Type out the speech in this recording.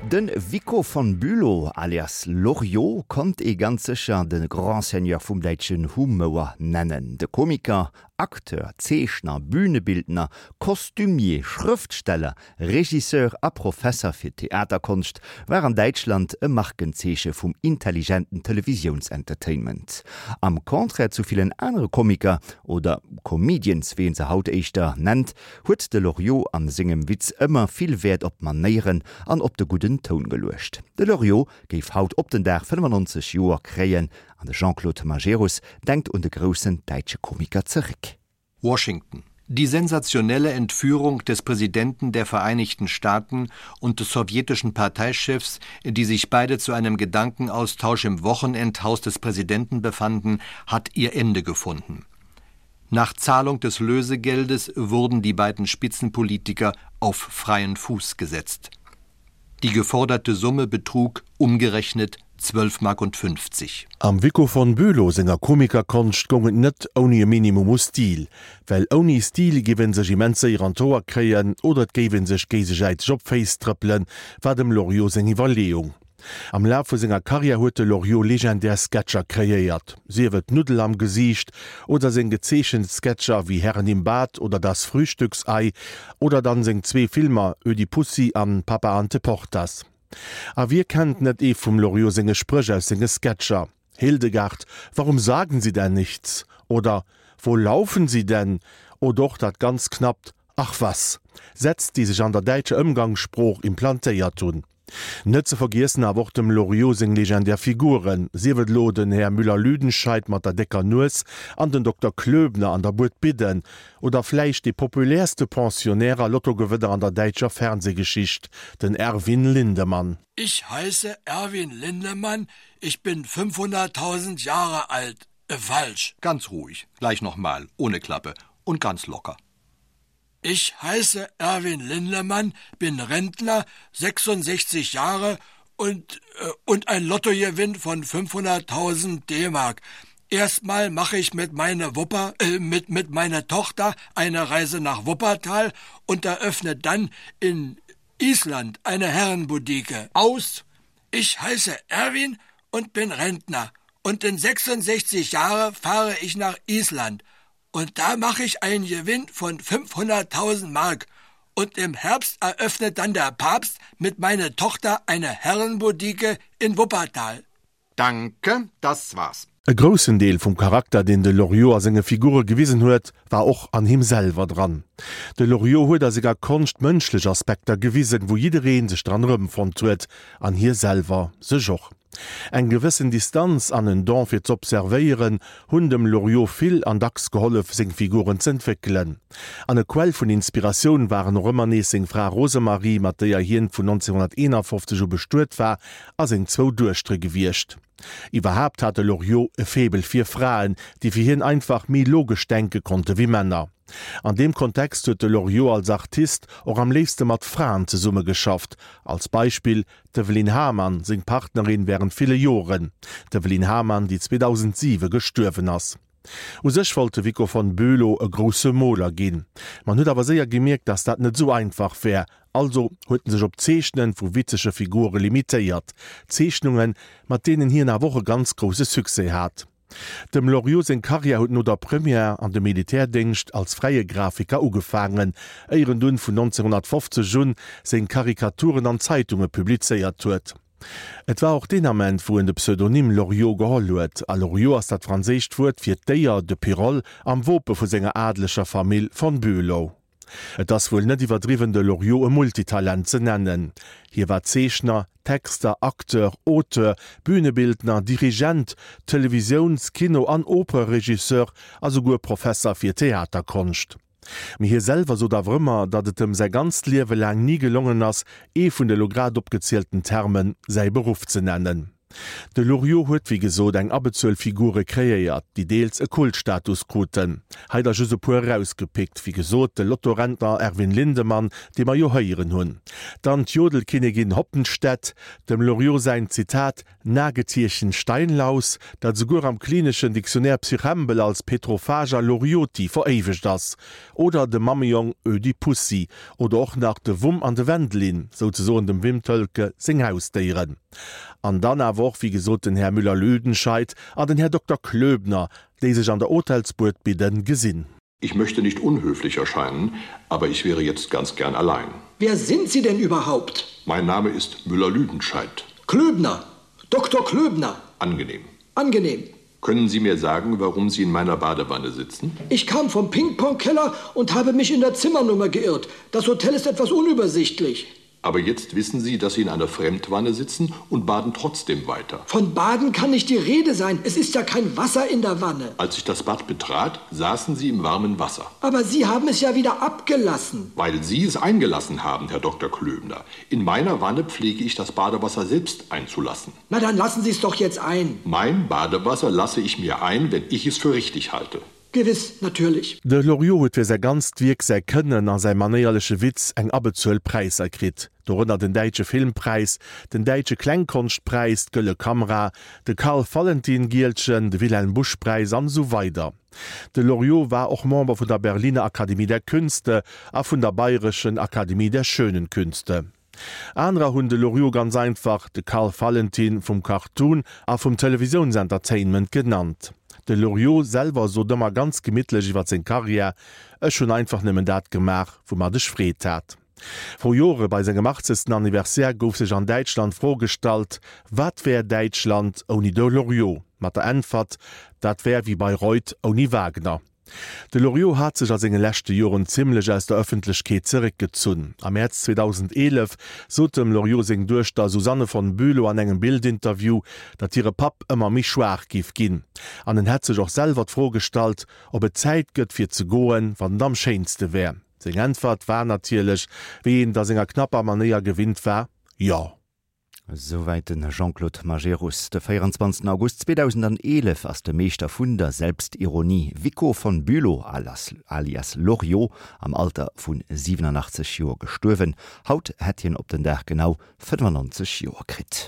De Vicco von Bülow alias Loriot konnt ee ganz sécher de Grand Seigneur vum däitschen Humouer nennen. De Komiker, Acteur, Zeechner, Bühnebildner, Kostümier, Schrëftsteller, Regisseur a Professer fir Theaterkonscht war an Däitschland e Markenzeeche vum intelligenten Televisiounsentertainment. Am Contraire zu villen anere Komiker, oder Comedians, wéi een se haut éischter nennt, huet de Loriot a sengem Witz ëmmer vill Wäert op d'Manéieren an op de gudden Toun geluecht. De Loriot géif haut op den Dag 95 Joer kréien an de Jean-Claude Majerus denkt un de groussen däitsche Komiker zeréck. Washington. Die sensationelle Entführung des Präsidenten der Vereinigten Staaten und des sowjetischen Parteichefs, die sich beide zu einem Gedankenaustausch im Wochenendhaus des Präsidenten befanden, hat ihr Ende gefunden. Nach Zahlung des Lösegeldes wurden die beiden Spitzenpolitiker auf freien Fuß gesetzt. Die geforderte Summe betrug umgerechnet 12 Mark und 50. Am Vicco von Bülow senger Komikerkonscht goung et net ouni e Minimum u Stil, well ouni Stil géif een sech immens séier an d'Hoer kréien oder et géif een sech géisesäiteg op d'Féiss trëppelen, war dem Loriot seng Iwwerleeung. Am Laf vu senger Karriär huet de Loriot legendär Sketcher kreéiert, sief et d'Nuddel am Gesiicht oder seng gezeechent Sketcher wéi Herren im Bad oder Das Frühstücksei oder dann seng zwee Filmer Ödipussy an Papa ante Portas. A wie kennt net ee vum Loriot senge Spréch aus senge Sketcher, Hildegard, warum sagen Sie denn nichts? oder Wo laufen Sie denn? oder och dat ganz knappt Ach was! Sätz, déi sech an der däitscher Ëmgangssprooch implantéiert hunn. Net ze vergiessen awer och dem Loriot seng legendär Figuren, sief et elo den Här Müller-Lüdenscheid mat der décker Nues an den Dokter Klöbner an der Bued Bidden, oder vläicht dee populärste Pensionnaire a Lottogewënner an der däitscher Fernsehgeschicht, den Erwin Lindemann. Ich heiße Erwin Lindemann, ich bin 500.000 Jahre alt. Äh, falsch. Ganz ruhig, gleich nochmal, ohne Klappe und ganz locker. Ich heiße Erwin Lindemann, bin Rentner, 66 Jahre und, äh, und ein Lottogewinn von 500.000 D-Mark. Erstmal mache ich mit meiner Wupper äh, mit mit meiner Tochter eine Reise nach Wuppertal und eröffne dann in Island eine Herrenboutique. Aus! Ich heiße Erwin und bin Rentner und in 66 Jahre fahre ich nach Island und da mache ich einen Gewinn von 500.000 Mark und im Herbst eröffnet dann der Papst mit meiner Tochter eine Herrenboutique in Wuppertal. Danke, das war's. E groussen Deel vum Charakter, deen de Loriot a senge Figure gewisen huet, war och an him selwer dran. De Loriot huet a senger Konscht mënschlech Aspekter gewisen, wou jidderee sech dran erëmfonnt huet, an hie selwer sech och. Eng gewëssen Distanz an en Don fir z'observéieren hunn dem Loriot vill an dacks gehollef, seng Figuren z'entwéckelen. An e Quell vun Inspiratioun waren och ëmmer nees seng Fra Rosemarie, mat déier hien vun 1951 u bestuet war, a seng zwou Duechtere gewiescht. Iwwerhaapt hat de Loriot e Faible fir Fraen, déi fir hien einfach méi logesch denke konnte wéi Männer. An deem Kontext huet de Loriot als Artist och am léifste mat Fraen zesummegeschafft, als Beispill D'Evelyne Hamann, seng Partnerin wärend ville Joren. D'Evelyne Hamann, déi 2007 gestuerwen ass. U sech wollt de Vicco von Bülow e grousse Moler ginn. Ma en huet awer séier gemierkt, dass dat net esou einfach wär. Also huet en sech op d'Zeechnen vu witzege Figure limitéiert. Zeechnungen, mat deenen hien awer och e ganz grousse Succès hat. Dem Loriot seng Karriär huet no der Première an dem Militärdéngscht als fräie Grafiker ugefaangen, éier en dunn vun 1950 un seng Karikaturen an Zeitunge publizéiert huet. Et war och deen Ament, wou en de Pseudonym Loriot geholl huet, a Loriot ass dat franséischt Wuert fir d'Déier, de Pirol, am Wope vu senger adeleger Famill von Bülow. Et ass wuel net iwwerdriwwen de Loriot e Multitalent ze nennen. Hie war Zeechner, Texter, Acteur, Auteur, Bühnebildner, Dirigent, Televisiouns-, Kino an Opereregisseur a souguer Professer fir Theaterkonscht. Mee hie selwer sot awer ëmmer, datt et em säi ganzt Liewe laang ni gelongen ass, ee vun de lo grad opgezielten Termen säi Beruff ze nennen. De Loriot huet wéi gesot eng Abbezuel Figure kreéiert, déi deels e Kultstatus kruten. Hei der just e puer erausgepickt, wéi gesot de Lottorentner Erwin Lindemann, dee mer jo héieren hunn, dann d'Jodelkinnigin Hoppenstedt, dem Loriot säin, Zitat, Nagetierchen Steinlaus, dat esouguer am klineschen Dictionnaire Psychembel als Petrophaga lorioti veréiwegt ass, oder de Mammejong Ödipussy, oder och nach de Wumm an de Wendelin, souzesoen dem Wim Thoelke seng Hausdéieren. An dann awer och, wéi gesot, den Här Müller-Lüdenscheid an den Här Dokter Klöbner, déi sech an der Hotelsbuedbidden gesinn. Ich möchte nicht unhöflich erscheinen, aber ich wäre jetzt ganz gern allein. Wer sind Sie denn überhaupt? Mein Name ist Müller-Lüdenscheid. Klöbner, Dr. Klöbner. Angenehm. Angenehm. Können Sie mir sagen, warum Sie in meiner Badewanne sitzen? Ich kam vom Ping-Pong-Keller und habe mich in der Zimmernummer geirrt. Das Hotel ist etwas unübersichtlich. Aber jetzt wissen Sie, dass Sie in einer Fremdwanne sitzen und baden trotzdem weiter. Von Baden kann nicht die Rede sein. Es ist ja kein Wasser in der Wanne. Als ich das Bad betrat, saßen Sie im warmen Wasser. Aber Sie haben es ja wieder abgelassen. Weil Sie es eingelassen haben, Herr Dr. Klöbner. In meiner Wanne pflege ich das Badewasser selbst einzulassen. Na dann lassen Sie es doch jetzt ein. Mein Badewasser lasse ich mir ein, wenn ich es für richtig halte. Gewiss, natürlich. De Loriot huet fir säi ganzt Wierk, säi Kënnen a säi manéierleche Witz eng Abbezuel Präisser kritt, dorënner den Däitsche Filmpräis, den Däitsche Klengkonschtpräis, d'Gëlle Kamera, de Karl-Valentin-Gielchen, de Wilhelm-Busch-Präis an esou weider. De Loriot war och Member vun der Berliner Akademie der Künste a vun der Bayerischen Akademie der Schönen Künste. Anerer hunn de Loriot ganz einfach de Karl Valentin vum Cartoon a vum Televisiounsentertainment genannt. De Loriot selwer sot ëmmer ganz gemittlech iwwer seng Karriär, Ech hunn einfach nëmmen dat gemaach, woumat ech Freed hat. Vru Jore bei sengem achtzegsten Anniversaire gouf sech an Däitschland d'Fro gestallt, Wat wär Däitschland ouni de Loriot? Mat der Äntwert, Dat wär wéi Bayreuth ouni Wagner. De Loriot hat sech a senge leschte Joren zimmlech aus der Ëffentlechkeet zeréckgezunn. Am Mäerz 2011 sot dem Loriot seng Duechter Susanne von Bülow an engem Bild-Interview, datt hire Papp ëmmer méi schwaach géif ginn. An en hätt sech och selwer d'Fro gestallt, ob et Zäit gëtt fir ze goen, wann et am schéinste wär. Seng Äntwert war natierlech, wéi een et a senger knapper Manéier gewinnt war, Jo. Souwäit de Jean-Claude Majerus. De 24 August 2011 ass de Meeschter vun der Selbstironie Vicco von Bülow alias Loriot am Alter vu 87 Joer gestuerwen. Haut hätt hien op den Dag genau 95 Joer kritt.